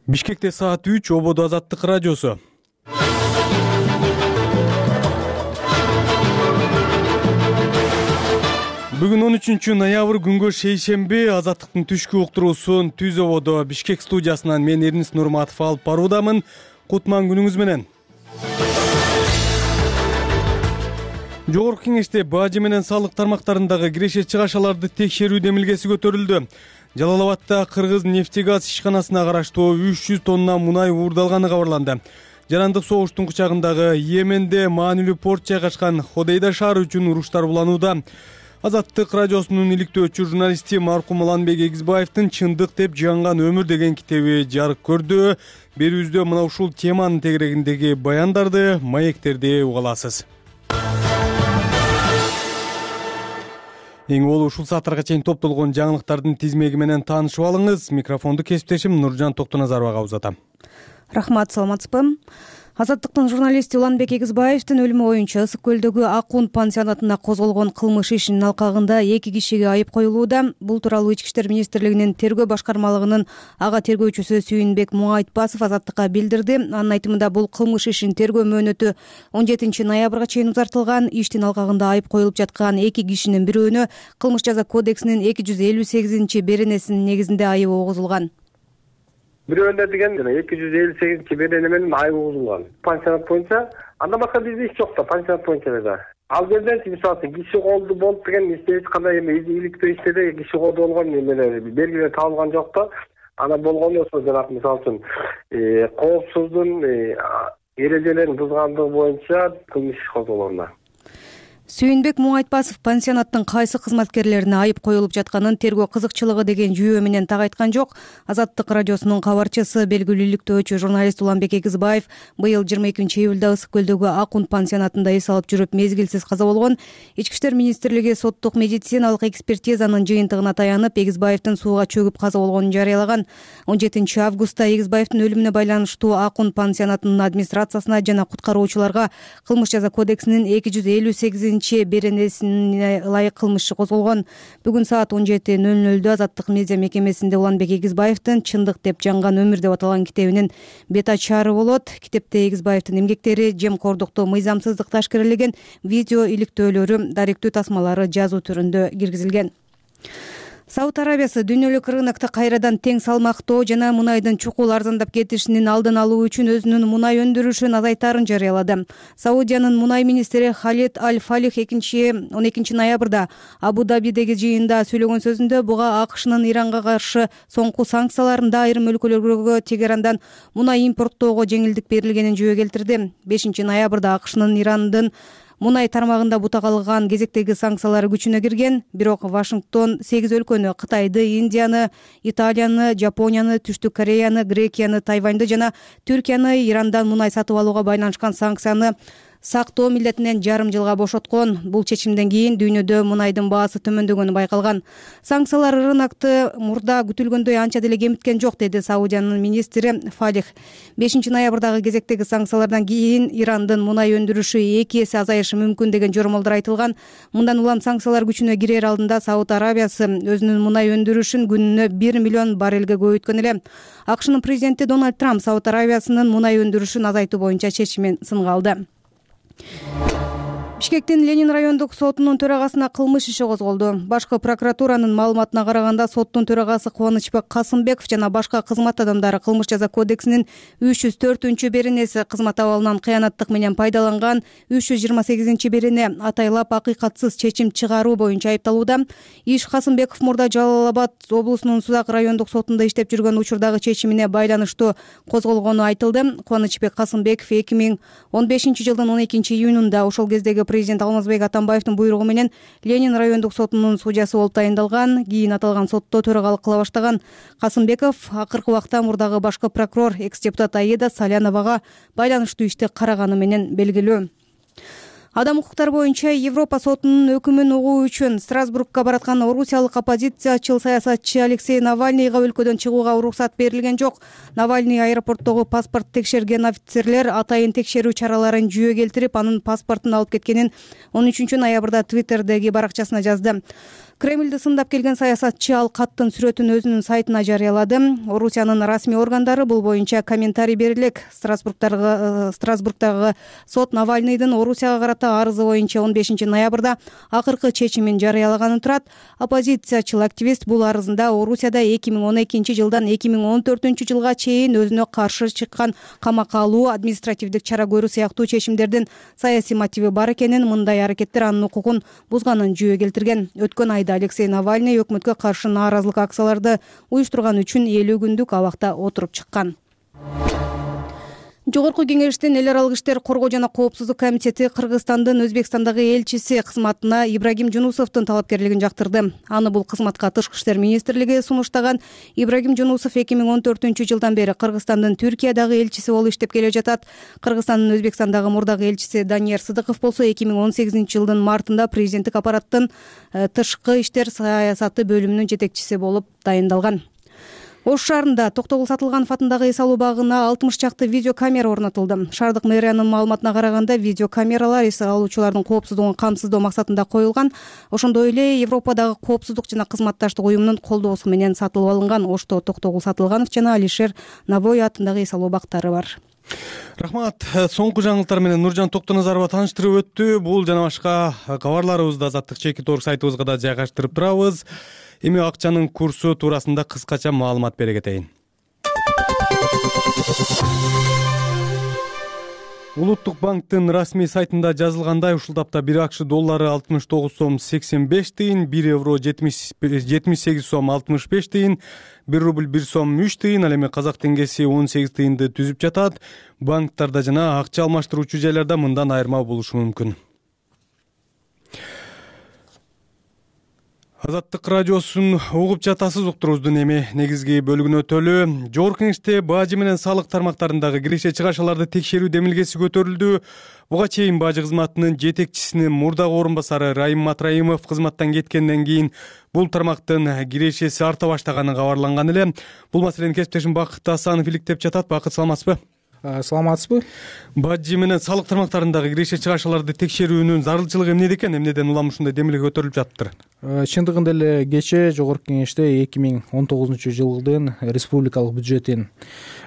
Бишкекте саат 3 ободо Азаттык радиосу. Бүгүн 13 ноябрь күнгө шейшемби. Азаттыктын түшкү уктуруусун Түз ободо Бишкек студиясынан мен Эрнис Нурматов алып баруудамын. Кутман күнүңүз менен. Жогорку кеңеште бажы менен салык тармактарындагы киреше чыгашаларды текшерүү демилгеси көтөрүлдү. Жалал-Абадта Кыргыз нефтегаз ишканасына караштуу 300 тонна мунай уурдалганы кабарланды. Жарандык согуштун кучагындагы Йеменде маанилүү порт жайгашкан Ходейда шаары үчүн уруштар буланууда. Азаттык радиосунун иликтөөчү журналисти маркум Уланбек Эгизбаевдин «Чындык деп жанган өмүр» деген китеби жарык көрдү. Берүүбүздө мына ушул теманын тегерегиндеги баяндарды, маектерди уга аласыз. Эң болуу ушул сааттарга чейин топтолгон жаңылыктардын тизмеги менен таанышып алыңыз. Микрофонду кесиптешим Нуржан Токтоназаровага узатам. Рахмат, саламатсызбы? Азаттыктын журналисти Уланбек Эгизбаевдин өлүмү боюнча Ысык көлдөгү Акун пансионатына козголгон кылмыш ишинин алкагында 2 кишиге айып коюлууда. Бул тууралуу Ички иштер министрлигинин тергөө башкармалыгынын ага тергөөчүсү Сүйүнбек Муайтпасов Азаттыкка билдирди. Анын айтымында бул кылмыш ишин тергөө мөөнөтү 17 ноябрга чейин узартылган. Иштин алкагында айып коюлуп жаткан 2 кишинин бирөөнө Кылмыш жаза кодексинин 258 беренесинин негизинде айып огузулган. Бирөөнө деген 258 берене менен айып угузулган. Пансионат боюнча андан башка бизде иш жок да, пансионат боюнча эле да. Ал жерден мисалы киши колду болуп деген эч кандай иликтөө иштерде киши колду болгон эмелер белгилер табылган жок да. Ана болгон болсо жанагы мисалы үчүн коопсуздун эрежелерин бузгандыгы боюнча кылмыш иш козголгон. Сүйүнбек Муайтпасов пансионаттын кайсы кызматкерлерине айып коюлуп жатканын тергөө кызыкчылыгы деген жүйө менен так айткан жок. Азаттык радиосунун кабарчысы, белгилүү иликтөөчү журналист Уланбек Эгизбаев быйыл 22 июлда Ысык көлдөгү Акун пансионатында эс алып жүрүп мезгилсиз каза болгон. Ички иштер министрлиги соттук медициналык экспертизанын жыйынтыгына таянып, Эгизбаевдин сууга чөгүп каза болгонун жарыялаган. 17 августта Эгизбаевдин өлүмүнө байланыштуу Акун пансионатынын администрациясына жана куткаруучуларга Кылмыш жаза кодексинин 258 беренесине ылайык кылмыш иши козголгон. Бүгүн саат 17:00 Азаттык медиа мекемесинде Уланбек Эгизбаевдин «Чындык деп жанган өмүр» деп аталган китебинин бет ачаары болот. Китепте Эгизбаевдин эмгектери, жемкордукту, мыйзамсыздыкты ашкерелеген видео иликтөөлөрү, даректүү тасмалары жазуу түрүндө киргизилген. Сауд Арабиясы дүйнөлүк рынокто кайрадан тең салмактоо жана мунайдын чукул арзандап кетишинин алдын алуу үчүн өзүнүн мунай өндүрүшүн азайтаарын жарыялады. Саудиянын мунай министри Халид Аль-Фалих 12 ноябрда Абу-Дабидеги жыйында сөйлөгөн сөзүндө буга АКШнын Иранга каршы соңку санкцияларында айрым өлкөлөргө Тегерандан мунай импорттоого жеңилдик берилгенин жөө келтирди. 5 ноябрда АКШнын Ирандын мунай тармагында бута калган кезектеги санкциялары күчүнө кирген. Бирок Вашингтон 8 өлкөнү — Кытайды, Индияны, Италияны, Жапонияны, Түштүк Кореяны, Грекияны, Тайваньды жана Түркияны Ирандан мунай сатып алууга байланышкан санкцияны сактоо милдетинен жарым жылга бошоткон. Бул чечимден кийин дүйнөдө мунайдын баасы төмөндөгөнү байкалган. Санкциялар рынокты мурда күтүлгөндөй анча деле кемиткен жок, деди Саудиянын министри Фалих. 5 ноябрдагы кезектеги санкциялардан кийин Ирандын мунай өндүрүшү 2 эсе азайышы мүмкүн деген жормолдор айтылган. Мындан улам санкциялар күчүнө кирер алдында Сауд Арабиясы өзүнүн мунай өндүрүшүн күнүнө 1 миллион баррелге көбөйткөн эле. АКШнын президенти Дональд Трамп Сауд Арабиясынын мунай өндүрүшүн азайтуу боюнча чечимин сынга алды. Бишкектин Ленин райондук сотунун төрагасына кылмыш иши козголду. Башкы прокуратуранын маалыматына караганда, соттун төрагасы Кубанычбек Касымбеков жана башка кызмат адамдары Кылмыш жаза кодексинин 304 беренеси кызмат абалынан кыянаттык менен пайдаланган, 328 берене атайлап акыйкатсыз чечим чыгаруу боюнча айыпталууда. Иш Касымбеков мурда Жалал-Абад облусунун Судак райондук сотунда иштеп жүргөн учурдагы чечимине байланыштуу козголгону айтылды. Кубанычбек Касымбеков 2015 жылдын 12 июнунда ошол кездеги президент Алмазбек Атамбаевдин буйругу менен Ленин райондук сотунун судьясы болуп тайындалган. Кийин аталган сотто төрагалык кыла баштаган. Касымбеков акыркы убакта мурдагы башкы прокурор экс-депутат Аида Саляновага байланыштуу ишти караганы менен белгилүү. Адам укуктары боюнча Европа сотунун өкүмүн угуу үчүн Страсбургка бараткан орусиялык оппозициячыл саясатчы Алексей Навальныйга өлкөдөн чыгууга уруксат берилген жок. Навальный аэропорттогу паспорт текшерген офицерлер атайын текшерүү чараларын жүйө келтирип, анын паспортун алып кеткенин 13-ноябрда Twitter'деги баракчасына жазды. Кремльди сындап келген саясатчы ал каттын сүрөтүн өзүнүн сайтына жарыялады. Орусиянын расмий органдары бул боюнча комментарий бере элек. Страсбургдагы сот Навальныйдын Орусияга карата арызы боюнча 15-ноябрда акыркы чечимин жарыялаганын турат. Оппозициячыл активист бул арызында Орусияда 2012 жылдан 2014 жылга чейин өзүнө каршы чыккан камакка алуу, административдик чара көрүү сыяктуу чечимдердин саясий мотиви бар экенин, мындай аракеттер анын укугун бузганын жүйө келтирген. Өткөн айда Алексей Навальный өкмөткө каршы нааразылык акцияларды уюштурган үчүн 50 күндүк абакта отуруп чыккан. Жогорку кеңештин эл аралык иштер коргоо жана коопсуздук комитети Кыргызстандын Өзбекстандагы элчиси кызматына Ибрагим Жунусовдун талапкерлигин жактырды. Аны бул кызматка Тышкы иштер министрлиги сунуштаган. Ибрагим Жунусов 2014 жылдан бери Кыргызстандын Түркиядагы элчиси болуп иштеп келе жатат. Кыргызстандын Өзбекстандагы мурдагы элчиси Данияр Сыдыков болсо 2018 жылдын мартында президенттик аппараттын тышкы иштер саясаты бөлүмүнүн жетекчиси болуп дайындалган. Ош шаарында Токтогул Сатылганов атындагы эс алуу багына 60 чакты видеокамера орнотулду. Шаардык мэриянын маалыматына караганда, видеокамералар эс алуучулардын коопсуздугун камсыздоо максатында коюлган. Ошондой эле Европадагы коопсуздук жана кызматташтык уюмунун колдоосу менен сатылып алынган. Ошто Токтогул Сатылганов жана Алишер Навой атындагы эс алуу бактары бар. Рахмат. Соңку жаңылыктар менен Нуржан Токтоназарова тааныштырып өттү. Бул жана башка кабарларыбызды Азаттык Чекит.орг сайтыбызга да жайгаштырып турабыз. Эми акчанын курсу туурасында кыскача маалымат бере кетейин. Улуттук банктын расмий сайтында жазылгандай, ушул тапта 1 акш доллары 69 сом 85 тыйын, 1 евро 78 сом 65 тыйын, 1 рубль 1 сом 3 тыйын, ал эми казак теңгеси 18 тыйынды түзүп жатат. Банктарда жана акча алмаштыруучу жайларда мындан айырма болушу мүмкүн. Азаттык радиосун угуп жатасыз. Уктуруубуздун эми негизги бөлүгүнө өтөлү. Жогорку кеңеште бажы менен салык тармактарындагы киреше чыгашаларды текшерүү демилгеси көтөрүлдү. Буга чейин бажы кызматынын жетекчисинин мурдагы орун басары Райым Матраимов кызматтан кеткенден кийин бул тармактын кирешеси арта баштаганы кабарланган эле. Бул маселени кесиптешим Бакыт Асанов иликтеп жатат. Бакыт, саламатсызбы? Саламатсызбы? Бажы менен салык тармактарындагы киреше чыгашаларды текшерүүнүн зарылчылыгы эмнеде экен? Эмнеден улам ушундай демилге көтөрүлүп жатыптыр? Чындыгында эле кечээ Жогорку кеңеште 2019 жылдын республикалык бюджетин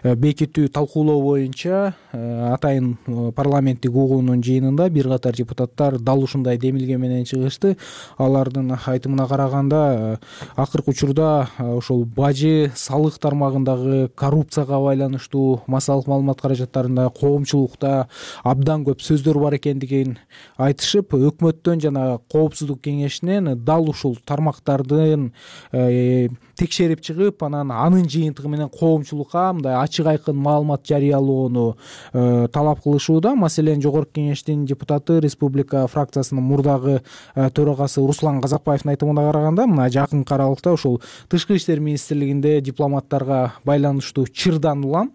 бекитүү талкуулоо боюнча атайын парламенттик угуунун жыйынында бир катар депутаттар дал ушундай демилге менен чыгышты. Алардын айтымына караганда, акыркы учурда ошол бажы салык тармагындагы коррупцияга байланыштуу массалык маалымат каражаттарында коомчулукта абдан көп сөздөр бар экендигин айтышып, өкмөттөн жана коопсуздук кеңешинен дал ушул тармактардын текшерип чыгып, анын жыйынтыгы менен коомчулукка мындай ачык айкын маалымат жарыялоону талап кылышууда. Маселен, Жогорку кеңештин депутаты, республика фракциясынын мурдагы төрагасы Руслан Казакбаевдин айтымына караганда, мына жакынкы аралыкта ошол Тышкы иштер министрлигинде дипломаттарга байланыштуу чырдан улам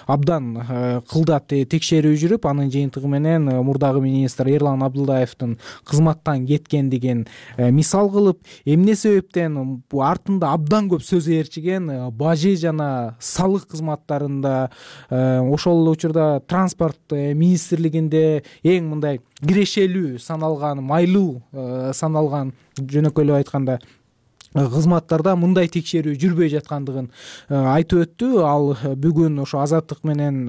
абдан кылдат текшерүү жүрүп, анын жыйынтыгы менен мурдагы министр Эрлан Абдылдаевдин кызматтан кеткендигин мисал кылып, эмне себептен артында абдан көп сөз ээрчиген бажы жана салык кызматтарында, ошол учурда транспорт министрлигинде эң мындай кирешелүү саналган, майлуу саналган, жөнөкөйлөп айтканда, кызматтарда мындай текшерүү жүрбөй жаткандыгын айтып өттү. Ал бүгүн ошо Азаттык менен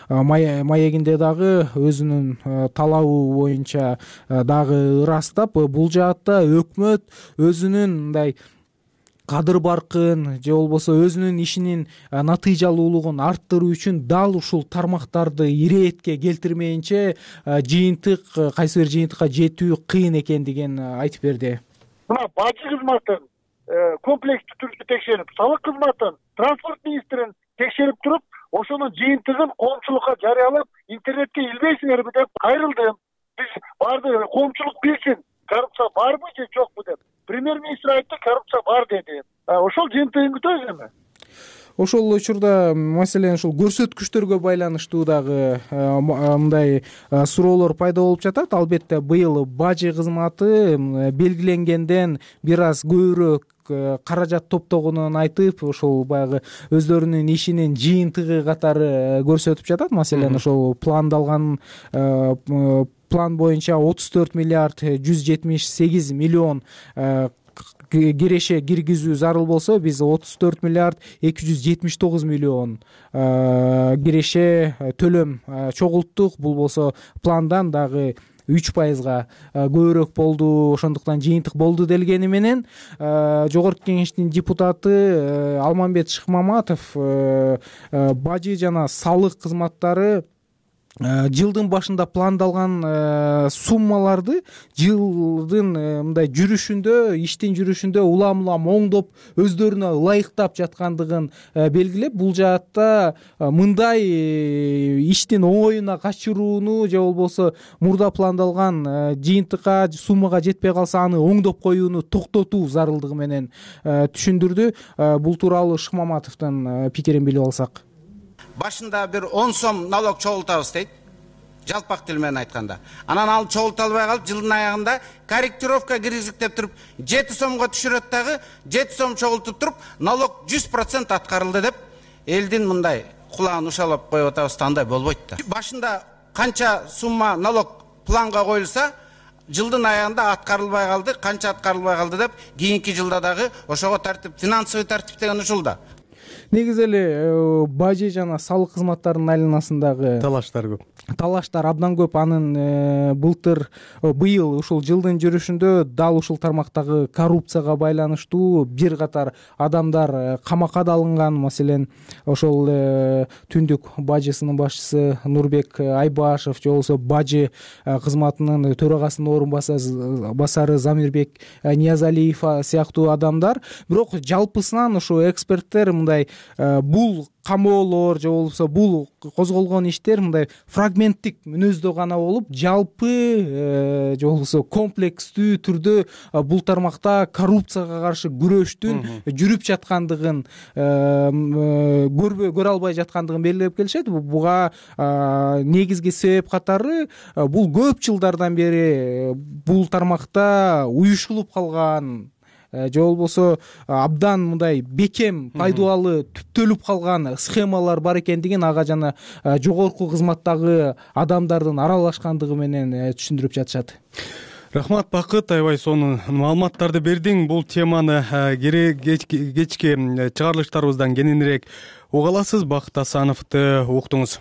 маегинде дагы өзүнүн талабы боюнча дагы ырастап, бул жаатта өкмөт өзүнүн мындай кадыр-баркын же болбосо өзүнүн ишинин натыйжалуулугун арттыруу үчүн дал ушул тармактарды ирээтке келтирмейинче кайсы бир жыйынтыкка жетүү кыйын экендигин айтып берди. Мына бажы кызматын комплекстүү түрдө текшерип, салык кызматын транспорт министрин текшерип туруп, ошонун жыйынтыгын коомчулукка жарыялап, интернетке илбейсиңерби деп кайрылдым. Биз баарды коомчулук билсин, коррупция барбы же жокпу деп. Премьер-министр айтты, коррупция бар деди. Ошол жыйынтыгын күтөбүз эми. ошол учурда маселен ушул көрсөткүчтөргө байланыштуу дагы мындай суроолор пайда болуп жатат. Албетте быйыл бажы кызматы белгиленгенден бир аз көбүрөөк каражат топтогонун айтып, ошол баягы өздөрүнүн ишинин жыйынтыгы катары көрсөтүп жатат. Маселен ошол пландалган план боюнча 34 миллиард 178 миллион киреше киргизүү зарыл болсо, биз 34 миллиард 279 миллион киреше төлөм чогулттук. Бул болсо пландан дагы 3%га көбүрөөк болду. Ошондуктан жыйынтык болду делгени менен Жогорку Кеңештин депутаты Алмамбет Шыкмаматов бажы жана салык кызматтары жылдын башында пландалган суммаларды жылдын мындай жүрүшүндө, иштин жүрүшүндө улам оңдоп, өздөрүнө ылайыктап жаткандыгын белгилеп, бул жаатта мындай иштин оңоюна качырууну же болбосо мурда пландалган жыйынтыкка, суммага жетпей калса аны оңдоп коюуну токтотуу зарылдыгы менен түшүндүрдү. Бул тууралуу Шыкмаматовдун пикирин билип алсак. Башында бир 10 сом налог чогултабыз дейт, жалпак тил менен айтканда. Анан ал чогулталбай калып, жылдын аягында корректировка киргизик деп туруп 7 сомго түшүрөт дагы, 7 сом чогултуп туруп, налог 100% аткарылды деп элдин мындай кулагын ушалап коюп атабыз да, андай болбойт да. Башында канча сумма налог планга коюлса, жылдын аягында аткарылбай калды, канча аткарылбай калды деп кийинки жылда дагы ошого тартип, финансовый тартип деген ушул да. Негизи эле бажы жана салык кызматтарынын айланасындагы талаштар көп. Талаштар абдан көп. Анын быйыл ушул жылдын жүрүшүндө дал ушул тармактагы коррупцияга байланыштуу бир катар адамдар камакка да алынган. Маселен, ошол Түндүк бажысынын башчысы Нурбек Айбашев, же болбосо бажы кызматынын төрагасынын орун басары Замирбек Ниязалиев сыяктуу адамдар. Бирок жалпысынан ушу эксперттер мындай бул камоолор же болбосо бул козголгон иштер мындай фрагменттик мүнөздө гана болуп, жалпы же болбосо комплекстүү түрдө бул тармакта коррупцияга каршы күрөштүн жүрүп жаткандыгын көрө албай жаткандыгын белгилеп келишет. Буга негизги себеп катары бул көп жылдардан бери бул тармакта уюштулуп калган же болбосо абдан мындай бекем пайдалуу түптөлүп калган схемалар бар экендигин ага жана жогорку кызматтагы адамдардын аралашкандыгы менен түшүндүрүп жатышат. Рахмат, Бакыт, аябай сонун маалыматтарды бердиң. Бул теманы кечки чыгарылыштарыбыздан кененирээк уга аласыз. Бакыт Асановду уктуңуз.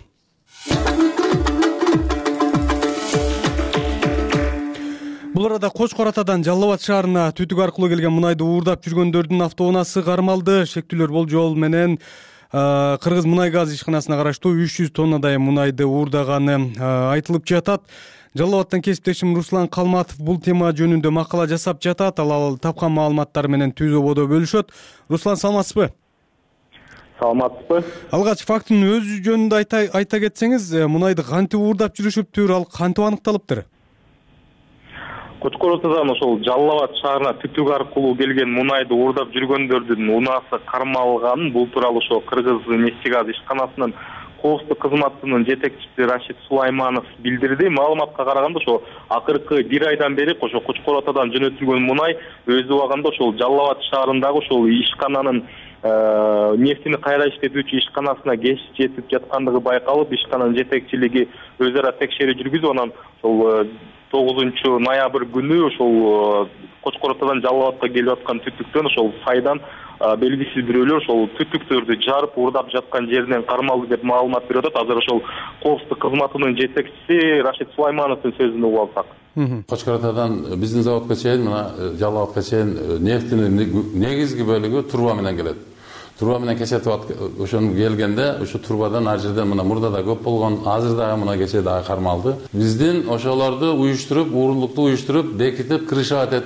Бул арада Кочкор Атадан Жалал Абад шаарына түтүк аркылуу келген мунайды уурдап жүргөндөрдүн автоунаасы кармалды. Шектүүлөр болжол менен Кыргыз мунай газ ишканасына караштуу 300 тоннадай мунайды уурдаганы айтылып жатат. Жалал Абадтан кесиптешим Руслан Калматов бул тема жөнүндө макала жасап жатат. Ал тапкан маалыматтары менен түзүү ободо бөлүшөт. Руслан, саламатсызбы? Саламатсызбы? Алгач фактынын өзү жөнүндө айта кетсеңиз, мунайды кантип уурдап жүрүшүптүр, ал кантип аныкталыптыр? Кочкор Атадан ошол Жалал Абад шаарына түтүк аркылуу келген мунайды уурдап жүргөндөрдүн унаасы кармалганын бул тууралуу ошо Кыргыз нефтегаз ишканасынын коопсуздук кызматынын жетекчиси Рашид Сулайманов билдирди. Маалыматка караганда ошо акыркы бир айдан бери ошо Кочкор Атадан жөнөтүлгөн мунай өз убагында ошол Жалал Абад шаарындагы ошол ишкананын нефтини кайра иштетүүчү ишканасына кеч жетип жаткандыгы байкалып, ишкананын жетекчилиги өз ара текшерүү жүргүзүп, анан ошол 9 ноябрь күнү ошол Кочкор Атадан Жалал Абадка келип аткан түтүктөн ошол сайдан белгисиз бирөөлөр ошол түтүктөрдү жарып уурдап жаткан жеринен кармалды деп маалымат берип атат. Азыр ошол коопсуздук кызматынын жетекчиси Рашид Сулаймановдун сөзүн угуп алсак. Кочкор Атадан биздин заводко чейин, мына Жалал Абадка чейин нефтинин негизги бөлүгү труба менен келет. Труба менен кечетип ошону келгенде, ошо трубадан ар жерден мына мурда да көп болгон, азыр дагы мына кече дагы кармалды. Биздин ошолорду уюштуруп, уурлукту уюштуруп, бекитип, крышават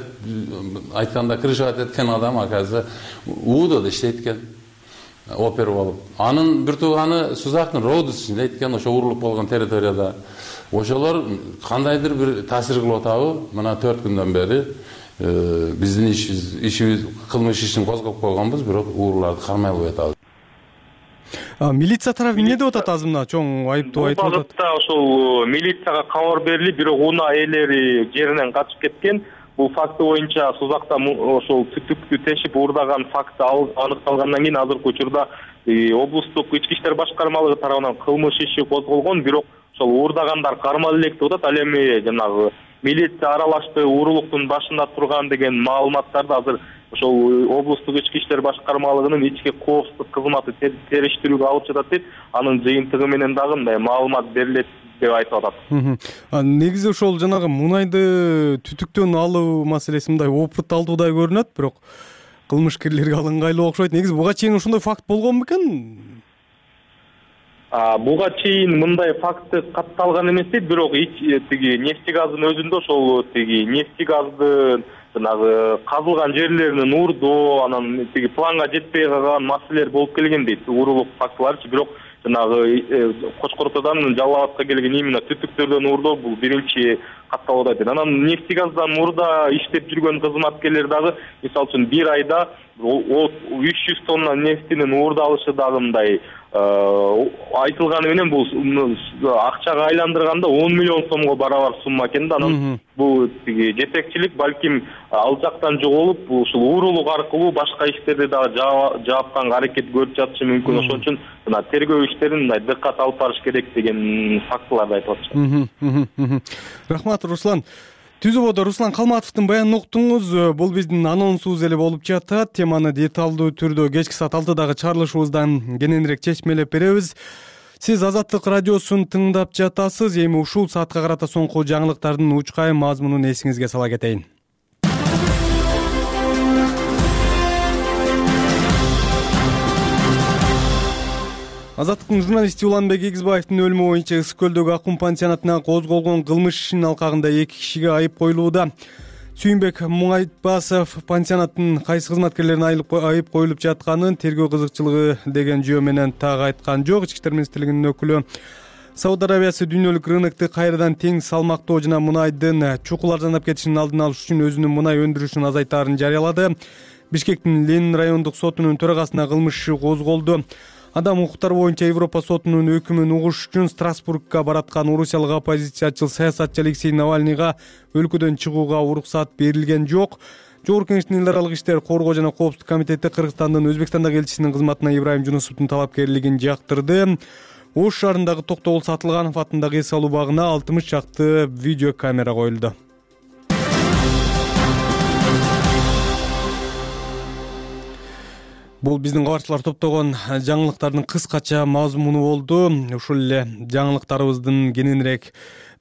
айтканда крышават эткен адам аказы УДОдо иштейт экен. Опер болуп. Анын бир тууганы Сузактын Родус иштейт экен, ошо уурлук болгон территорияда. Ошолор кандайдыр бир таасир кылып атабы? Мына 4 күндөн бери биздин ишибиз кылмыш ишин козгоп койгонбуз, бирок уурларды кармай албай атабыз. Милиция тарабы эмне деп атат? Азыр мына чоң айыптоо айтып атат. Бул багытта ошол милицияга кабар берилип, бирок унаа ээлери жеринен качып кеткен. Бул факты боюнча Сузакта ошол түтүктү тешип уурдаган факты аныкталгандан кийин азыркы учурда облустук ички иштер башкармалыгы тарабынан кылмыш иши козголгон, бирок ошол уурдагандар кармалып элек деп атат. Ал эми жанагы милиция аралашты, уурулуктун башында турган деген маалыматтарды азыр ошол облустук ички иштер башкармалыгынын ички коопсуздук кызматы териштирүүгө алып жатат дейт. Анын жыйынтыгы менен дагы мындай маалымат берилет деп айтып атат. Негизи ошол жанагы мунайды түтүктөн алуу маселеси мындай опыт алдуудай көрүнөт, бирок кылмышкерлерге ал ыңгайлуу окшойт. Негизи буга чейин ошондой факт болгон бекен? Буга чейин мындай факты катталган эмес дейт, бирок тиги нефтегаздын өзүндө ошол тиги нефтегаздын жанагы казылган жерлеринин уурдоо, анан тиги планга жетпей калган маселелер болуп келген дейт, уурулук фактыларчы. Бирок жанагы Кочкор Отодан Жалал Абадка келген именно түтүктөрдөн уурдоо бул биринчи катталууда дейт. Анан нефтегаздан мурда иштеп жүргөн кызматкерлер дагы мисалы үчүн бир айда 300 тонна нефтинин уурдалышы дагы мындай айтылганы менен бул акчага айландырганда 10 миллион сомго барабар сумма экен да. Анан бул тиги жетекчилик балким ал жактан жоголуп, ушул уурулук аркылуу башка иштерди дагы жаапканга аракет көрүп жатышы мүмкүн. Ошон үчүн мына тергөө иштерин мындай дыккат алып барыш керек деген фактыларды айтып атышат. Рахмат, Руслан. Түзүбодо Руслан Калматовдун баянын уктуңуз. Бул биздин анонсубуз эле болуп жатат. Теманы деталдуу түрдө кечки саат 6-дагы чыгарылышыбыздан кененирээк чечмелеп беребиз. Сиз Азаттык радиосун тыңдап жатасыз. Эми ушул саатка карата соңку жаңылыктардын учкай мазмунун эсиңизге сала кетейин. Азаттыктын журналисти Уланбек Эгизбаевдин өлүмү боюнча Ысык көлдөгү Акун пансионатына козголгон кылмыш ишинин алкагында 2 кишиге айып коюлууда. Сүйүнбек Муңайтбасов пансионаттын кайсы кызматкерлерине айып коюлуп жатканын тергөө кызыкчылыгы деген жөө менен так айткан жок. Ички иштер министрлигинин өкүлү Сауд Арабиясы дүйнөлүк рынокту кайрадан тең салмактоо жана мунайдын чукул арзандап кетишинин алдын алыш үчүн өзүнүн мунай өндүрүшүн азайтаарын жарыялады. Бишкектин Ленин райондук сотунун төрагасына кылмыш иши козголду. Адам укуктары боюнча Европа сотунун өкүмүн угуш үчүн Страсбургга бараткан орусиялык оппозициячыл саясатчы Алексей Навальныйга өлкөдөн чыгууга уруксат берилген жок. Жогорку Кеңештин эл аралык иштер коргоо жана коопсуздук комитети Кыргызстандын Өзбекстандагы элчисинин кызматына Ибраим Жунусовдун талапкерлигин жактырды. Ош шаарындагы Токтогул Сатылганов атындагы эс алуу багына 60 чакты видео камера коюлду. Бул биздин кабарчылар топтогон жаңылыктардын кыскача мазмуну болду. Ушул эле жаңылыктарыбыздын кененирээк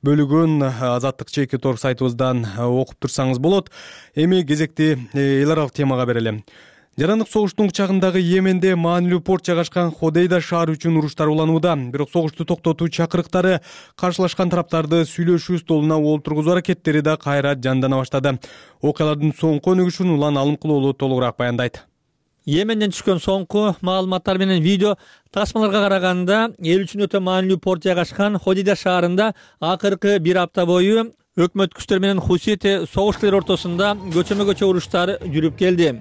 бөлүгүн Азаттык Чекит.org сайтыбыздан окуп турсаңыз болот. Эми кезекти эл аралык темага берели. Жарандык согуштун чагындагы Йеменде маанилүү порт жайгашкан Ходейда шаары үчүн уруштар уланууда. Бирок согушту токтотуу чакырыктары каршылашкан тараптарды сүйлөшүү столуна олтургузуу аракеттери да кайра жандана баштады. Окуялардын соңку өнүгүшүн Улан Алымкулуулу толугураак баяндайт. Йеменден түшкөн соңку маалыматтар менен видео тасмаларга караганда эл үчүн өтө маанилүү порт жайгашкан Ходейда шаарында акыркы бир апта бою өкмөт күчтөр менен хусити согушчулар ортосунда көчөмө-көчө уруштар жүрүп келди.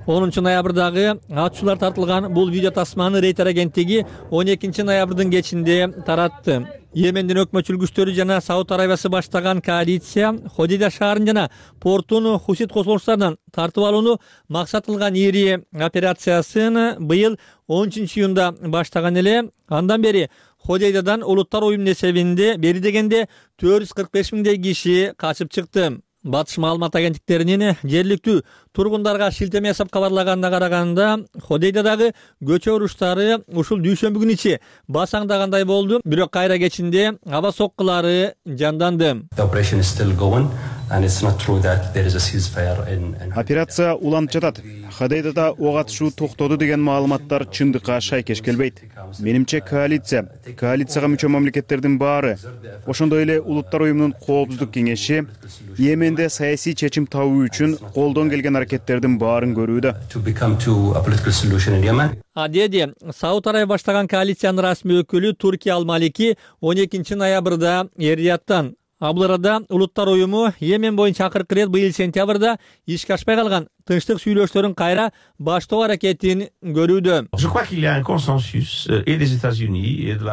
10 ноябрдагы атчуулар тартылган бул видео тасманы Рейтер агенттиги 12 ноябрдын кечинде таратты. Йемендин өкмөтчүл күчтөрү жана Сауд Арабиясы баштаган коалиция Ходейда шаарын жана портун хусит козголуштарынан тартып алууну максат кылган ири операциясын быйыл 10 июнда баштаган эле. Андан бери Ходейдадан улуттар уюмунун эсебинде бери дегенде 445 миңдей киши качып чыкты. Батыш маалымат агенттиктеринин жергиликтүү тургундарга шилтеме жасап кабарлаганына караганда, Ходейдадагы көчө уруштары ушул дүйшөмбү күнү ичи басаңдагандай болду, бирок кайра кечинде аба соккулары жанданды. Операция уланып жатат. Ходейдада ок атышуу токтоду деген маалыматтар чындыкка шайкеш келбейт. Менимче коалицияга мүчө мамлекеттердин баары, ошондой эле улуттар уюмунун коопсуздук кеңеши Йеменде саясий чечим табуу үчүн колдон келген аракеттердин баарын көрүүдө. Деди Сауд Арабия баштаган коалициянын расмий өкүлү Туркия Ал-Малики 12 ноябрда Эр-Рияттан Бул арада Улуттар уюму Йемен боюнча акыркы ирет быйыл сентябрда ишке ашпай калган тынчтык сүйлөшүүлөрүн кайра баштоо аракетин көрүүдө.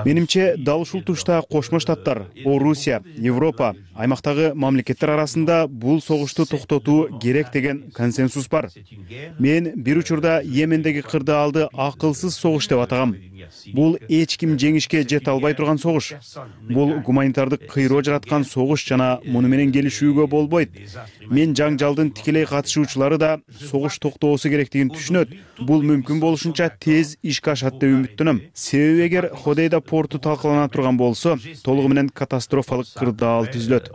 Менимче дал ушул тушта Кошмо Штаттар, Орусия, Европа, аймактагы мамлекеттер арасында бул согушту токтотуу керек деген консенсус бар. Мен бир учурда Йемендеги кырдаалды акылсыз согуш деп атагам. Бул эч ким жеңишке жете албай турган согуш. Бул гуманитардык кыйроо жараткан согуш жана муну менен келишүүгө болбойт. Мен жаңжалдын тикелей катышуучулары да согуш токтоосу керектигин түшүнөт. Бул мүмкүн болушунча тез ишке ашат деп үмүттөнөм. Себеби эгер Ходейда порту талкалана турган болсо, толугу менен катастрофалык кырдаал түзүлөт.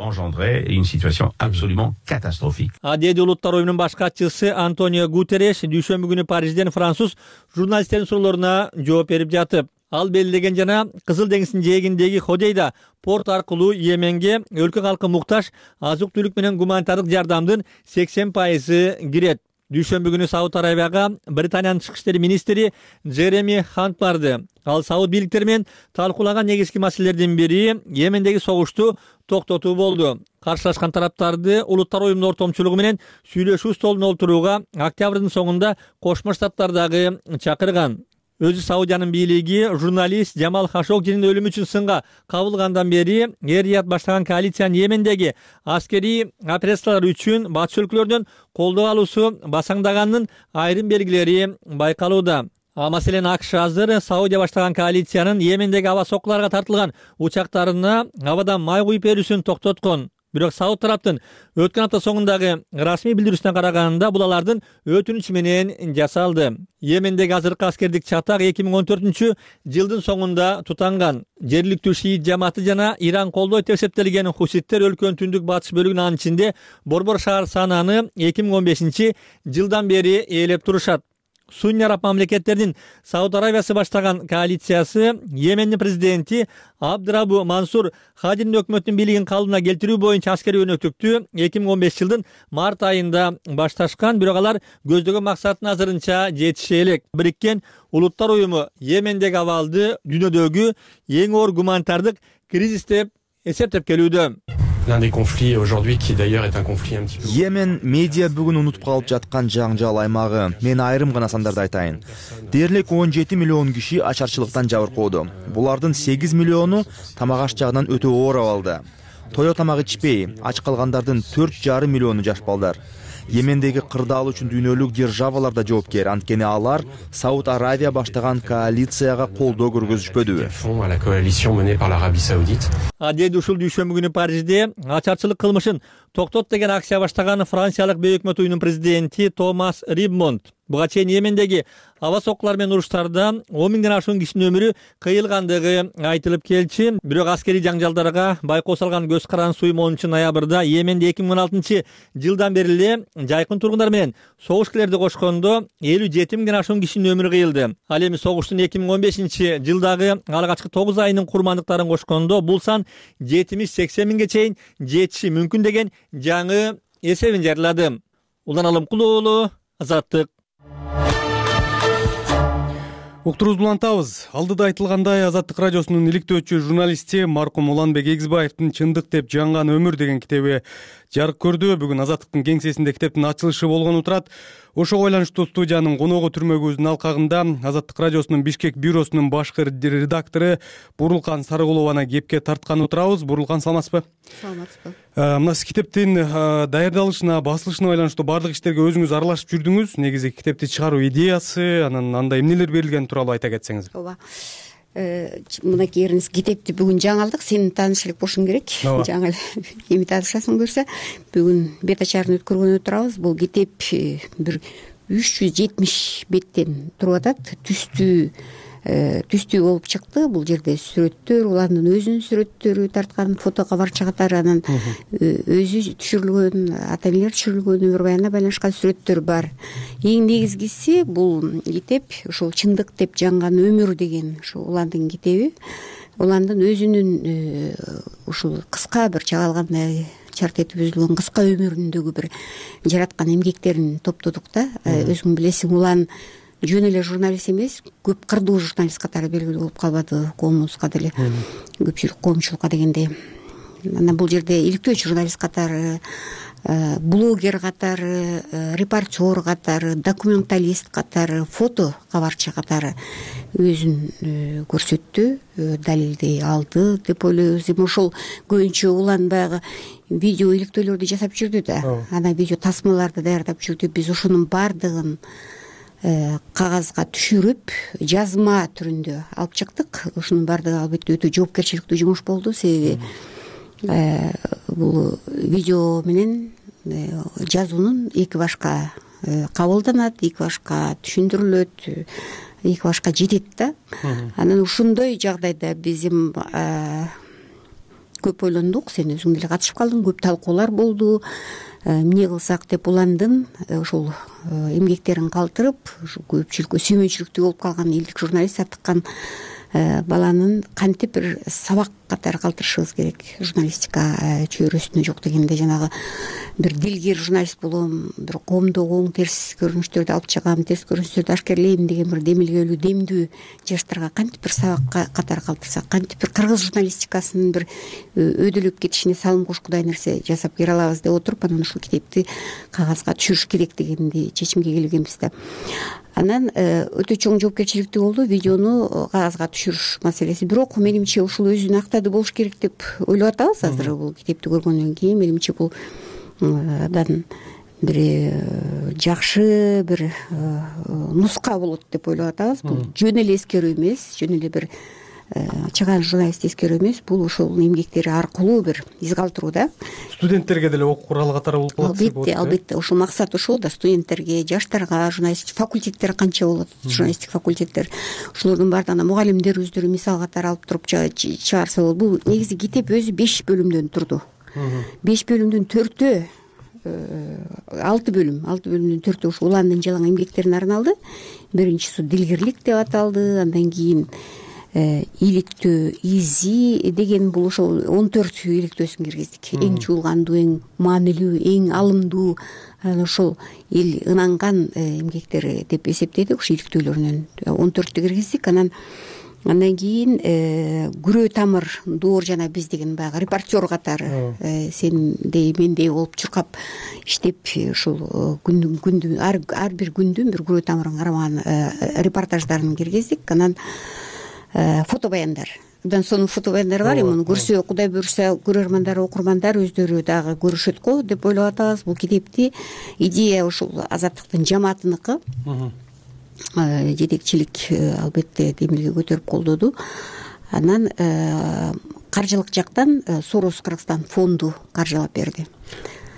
Деди Улуттар уюмунун баш катчысы Антонио Гутерреш дүйшөмбү күнү Парижден француз журналисттердин суроолоруна жооп берип жатып, ал белгилеген жана Кызыл деңиздин жээгиндеги Ходейда порт аркылуу Йеменге өлкө калкы муктаж азык-түлүк менен гуманитардык жардамдын 80% кирет. Дүйшөмбү күнү Сауд Арабияга Британиянын тышкы иштер министри Джереми Хант барды. Ал Сауд бийликтери менен талкуулаган негизги маселелердин бири Йемендеги согушту токтотуу болду. Каршылашкан тараптарды Улуттар уюмунун ортомчулугу менен сүйлөшүү столуна олтурууга октябрдын соңунда Кошмо Штаттар дагы чакырган. Өзү Саудиянын бийлиги журналист Жамал Хашогжинин өлүмү үчүн сынга кабылгандан бери Эр-Рияд баштаган коалициянын Йемендеги аскерий операциялар үчүн батыш өлкөлөрдөн колдоо алуусу басаңдаганын айрым белгилери байкалууда. Маселен АКШ азыр Саудия баштаган коалициянын Йемендеги аба соккуларга тартылган учактарына абадан май куюп берүүсүн токтоткон. Бирок Сауд тараптын өткөн апта соңундагы расмий билдирүүсүнө караганда бул алардын өтүнүчү менен жасалды. Йемендеги азыркы аскердик чатак 2014-жылдын соңунда тутанган. Жергиликтүү шиит жамааты жана Иран колдойт деп эсептелген хуситтер өлкөнүн түндүк батыш бөлүгүнүн анын ичинде борбор шаар сананы 2015-жылдан бери ээлеп турушат. Сунни араб мамлекеттеринин Сауд Арабиясы баштаган коалициясы Йемендин президенти Абдрабу Мансур Хадинин өкмөтүнүн бийлигин калыбына келтирүү боюнча аскерий өнөктүктү 2015-жылдын март айында башташкан, бирок алар көздөгөн максатына азырынча жетише элек. Бириккен Улуттар уюму Йемендеги абалды дүйнөдөгү эң оор гуманитардык кризис деп эсептеп келүүдө. Йемен медиа бүгүн унутуп калып жаткан жаңжал аймагы. Мен айрым гана сандарды айтайын. Дээрлик 17 миллион киши ачарчылыктан жабыркоодо. Булардын 8 миллиону тамак аш жагынан өтө оор абалда. Тое тамак ичпей, ач калгандардын 4,5 миллиону жаш балдар. Йемендеги кырдаал үчүн дүйнөлүк державалар да жоопкер, анткени алар Сауд Аравия баштаган коалицияга колдоо көргөзүшпөдүбү. Деди ушул дүйшөмбү күнү Парижде ачарчылык кылмышын токтот деген акция баштаган Франциялык Бейөкмөт уюмунун президенти Томас Рибмонд. Буга чейин Йемендеги аба соккулар менен уруштарда 10 миңден ашуун кишинин өмүрү кыйылгандыгы айтылып келчи. Бирок аскерий жаңжалдарга байкоо салган көз каранды уюм 10 ноябрда Йеменде 2016-жылдан бери эле жайкын тургундар менен согушкерлерди кошкондо 57 миңден ашуун кишинин өмүрү кыйылды. Ал эми согуштун 2015-жылдагы алгачкы 9 айынын курмандыктарын кошкондо бул сан 70-80 миңге чейин жетиши мүмкүн деген жаңы эсебин жарыялады. Улан Алымкул уулу, Азаттык. Уктуруубузду улантабыз. Алдыда айтылгандай, Азаттык радиосунун иликтөөчү журналисти маркум Уланбек Эгизбаевдин «Чындык деп жанган өмүр» деген китеби жарык көрдү. Бүгүн Азаттыктын кеңсесинде китептин ачылышы болгону турат. Ошого байланыштуу студиянын коногу түрмөгүбүздүн алкагында Азаттык радиосунун Бишкек бюросунун башкы редактору Бурулкан Сарыгулованы кепке тарткан отурабыз. Бурулкан, саламатсызбы? Саламатсызбы. Мына сиз китептин даярдалышына, басылышына байланыштуу баардык иштерге өзүңүз аралашып жүрдүңүз. Негизи китепти чыгаруу идеясы, анан анда эмнелер берилгени тууралуу айта кетсеңиз. Ооба. Мынакей эриңиз китепти бүгүн жаңылдык, сени тааныш элек болушуң керек. Жаңы эми таанышасың буюрса, бүгүн бет ачарын өткөргөнү турабыз. Бул китеп бир 370 беттен туруп атат. Түстүү болуп чыкты. Бул жерде сүрөттөр, улардын өзүнүн сүрөттөрү тарткан, фото кабарча катары, анан өзү түшүрүлгөн, ата-энелер түшүрүлгөн өмүр баянына байланышкан сүрөттөр бар. Эң негизгиси бул китеп ушул «Чындык деп жанган өмүр» деген ушул уландын китеби. Уландын өзүнүн ушул кыска бир чагалгандай чарт этип үзүлгөн кыска өмүрүндөгү бир жараткан эмгектерин топтодук да. Өзүң билесиң, улан жөн эле журналист эмес, көп кырдуу журналист катары белгилүү болуп калбады, коомубузга деле, көпчүлүк коомчулукка дегенде. анан бул жерде иликтөөчү журналист катары, блогер катары, репортер катары, документалист катары, фото кабарчы катары өзүн көрсөттү, далилдей алды деп ойлойбуз. Эми ошол көбүнчө улан баягы видео иликтөөлөрдү жасап жүрдү да, анан видео тасмаларды даярдап жүрдү. Биз ошонун баардыгын кагазга түшүрүп, жазма түрүндө алып чыктык. Ошонун баардыгы албетте өтө жоопкерчиликтүү жумуш болду, себеби бул видео менен жазуунун эки башка кабылданат, эки башка түшүндүрүлөт, эки башка жетет да. Анан ушундай жагдайда биз эми көп ойлондук, сен өзүң деле катышып калдың, көп талкуулар болду. Эмне кылсак деп уландым. Ошол эмгектерин калтырып, көпчүлүккө сүймөнчүлүктүү болуп калган элдик журналист атыккан баланын кантип бир сабак катары калтырышыбыз керек. Журналистика чөйрөсүнө жок дегенде жанагы бир дилгер журналист болом, бир коомдогу оң терс көрүнүштөрдү алып чыгам, терс көрүнүштөрдү ашкерлейм деген бир демилгелүү, демдүү жаштарга кантип бир сабак катары калтырсак, кантип бир кыргыз журналистикасынын бир өйдөлөп кетишине салым кошкудай нерсе жасап бере алабыз деп отуруп, анан ушул китепти кагазга түшүрүш керек дегенди чечимге келгенбиз да. Анан өтө чоң жоопкерчиликтүү болду видеону кагазга түшүрүш маселеси. Бирок менимче ушул өзүн актады болуш керек деп ойлоп атабыз азыр. Бул китепти көргөндөн кийин менимче бул абдан бир жакшы бир нуска болот деп ойлоп атабыз. Бул жөн эле эскерүү эмес, жөн эле бир чыгаан журналист эскерүү эмес, бул ошол эмгектери аркылуу бир из калтыруу да. Студенттерге деле окуу куралы катары болуп калат. Албетте, ошол максат ошол да, студенттерге, жаштарга, журналист факультеттер канча болот, журналисттик факультеттер, ошолордун баардыгына мугалимдер өздөрү мисал катары алып туруп чыгарса болот. Бул негизи китеп өзү 5 бөлүмдөн турду. 5 бөлүмдүн 4-өө 6 бөлүмдүн 4-өө ушу уландын жалаң эмгектерине арналды. Биринчиси дилгерлик деп аталды, андан кийин иликтөө, изи деген бул ошол 14 иликтөөсүн киргиздик. Эң чуулгандуу, эң маанилүү, эң алымдуу, ошол эл ынанган эмгектери деп эсептедик. Ошо иликтөөлөрүнөн 14тү киргиздик. Андан кийин күрөө тамыр, доор жана биз деген баягы репортер катары сендей мендей болуп чуркап иштеп, ушул күндү ар бир күндүн бир күрөө тамырын кармаган репортаждарын киргиздик. Анан фото баяндар. Абдан сонун фото баяндар бар. Муну көрсө, Кудай буйрса, көрөрмандар, окурмандар өздөрү дагы көрүшөт го деп ойлоп атабыз. Бул китепти идея ушул Азаттыктын жамаатыныкы. Жетекчилик албетте демилге көтөрүп колдоду. Анан каржылык жактан Сорос Кыргызстан фонду каржылап берди.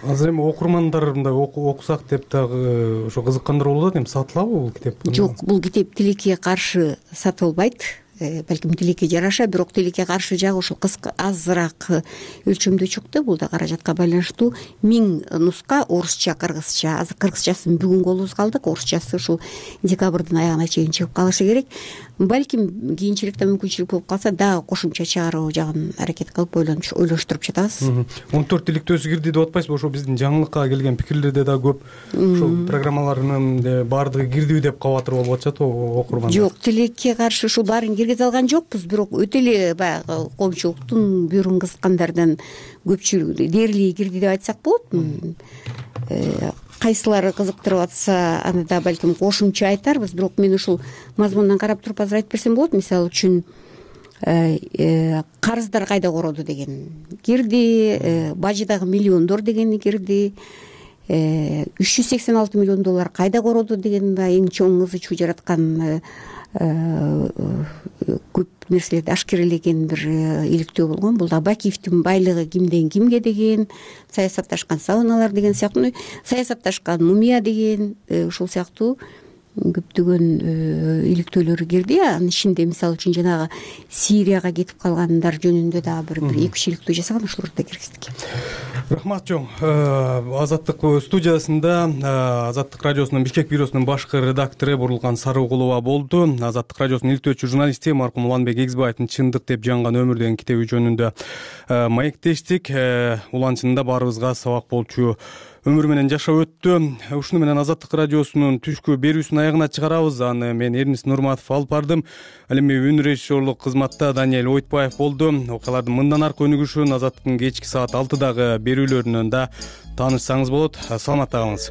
Азыр эми окурмандар мындай окусак деп дагы ошо кызыккандар болот. Эми сатылабы бул китеп? Жок, бул китеп тилекке каршы сатылбайт. Балким тилекке жараша, бирок тилекке каршы жагы ушул кыска азыраак өлчөмдө чыкты. Бул да каражатка байланыштуу 1000 нуска орусча, кыргызча. Азыр кыргызчасын бүгүн колубузга алдык, орусчасы ушул декабрдын аягына чейин чыгып калышы керек. Балким кийинчерээкте мүмкүнчүлүк болуп калса дагы кошумча чыгаруу жагын аракет кылып ойлоштуруп жатабыз. 14 иликтөөсү кирди деп атпайсызбы? Ошо биздин жаңылыкка келген пикирлерде да көп ушул программаларынын баардыгы кирдиби деп кабатыр болуп атышат окурмандар. Жок, тилекке каршы ушул баарын киргизе алган жокпуз, бирок өтө эле баягы коомчулуктун бүйүрүн кызыккандардан көпчүлүгү дээрлиги кирди деп айтсак болот. Кайсылары кызыктырып атса, аны да балким кошумча айтарбыз, бирок мен ушул мазмундан карап туруп азыр айтып берсем болот. Мисалы үчүн карыздар кайда короду деген кирди, бажыдагы миллиондор дегени кирди, 386 миллион доллар кайда короду деген эң чоң ызы чуу жараткан көп нерселерди ашкерелеген бир иликтөө болгон. Бул да Бакиевдин байлыгы кимден кимге деген, саясатташкан сауналар деген сыяктуу, саясатташкан мумия деген ушул сыяктуу көптөгөн иликтөөлөр кирди. Анын ичинде мисалы үчүн жанагы Сирияга кетип калгандар жөнүндө дагы бир 2-3 иликтөө жасаган, ошолорду да киргиздик. Рахмат чоң. Азаттык студиясында Азаттык радиосунун Бишкек бюросунун башкы редактору Бурулган Сарыгулова болду. Азаттык радиосунун иликтөөчү журналисти маркум Уланбек Эгизбаевдин «Чындык деп жаңган өмүр» деген китеби жөнүндө маектештик. Улан чынында баарыбызга сабак болчу өмүр менен жашап өттү. Ушуну менен Азаттык радиосунун түшкү берүүсүн аягына чыгарабыз. Аны мен Эрнис Нурматов алып бардым. Ал эми үн режиссерлук кызматта Даниэль Ойтбаев болду. Окуялардын мындан аркы өнүгүшүн Азаттыктын кечки саат 6-дагы берүүлөрүнөн да таанышсаңыз болот. Саламатта калыңыз.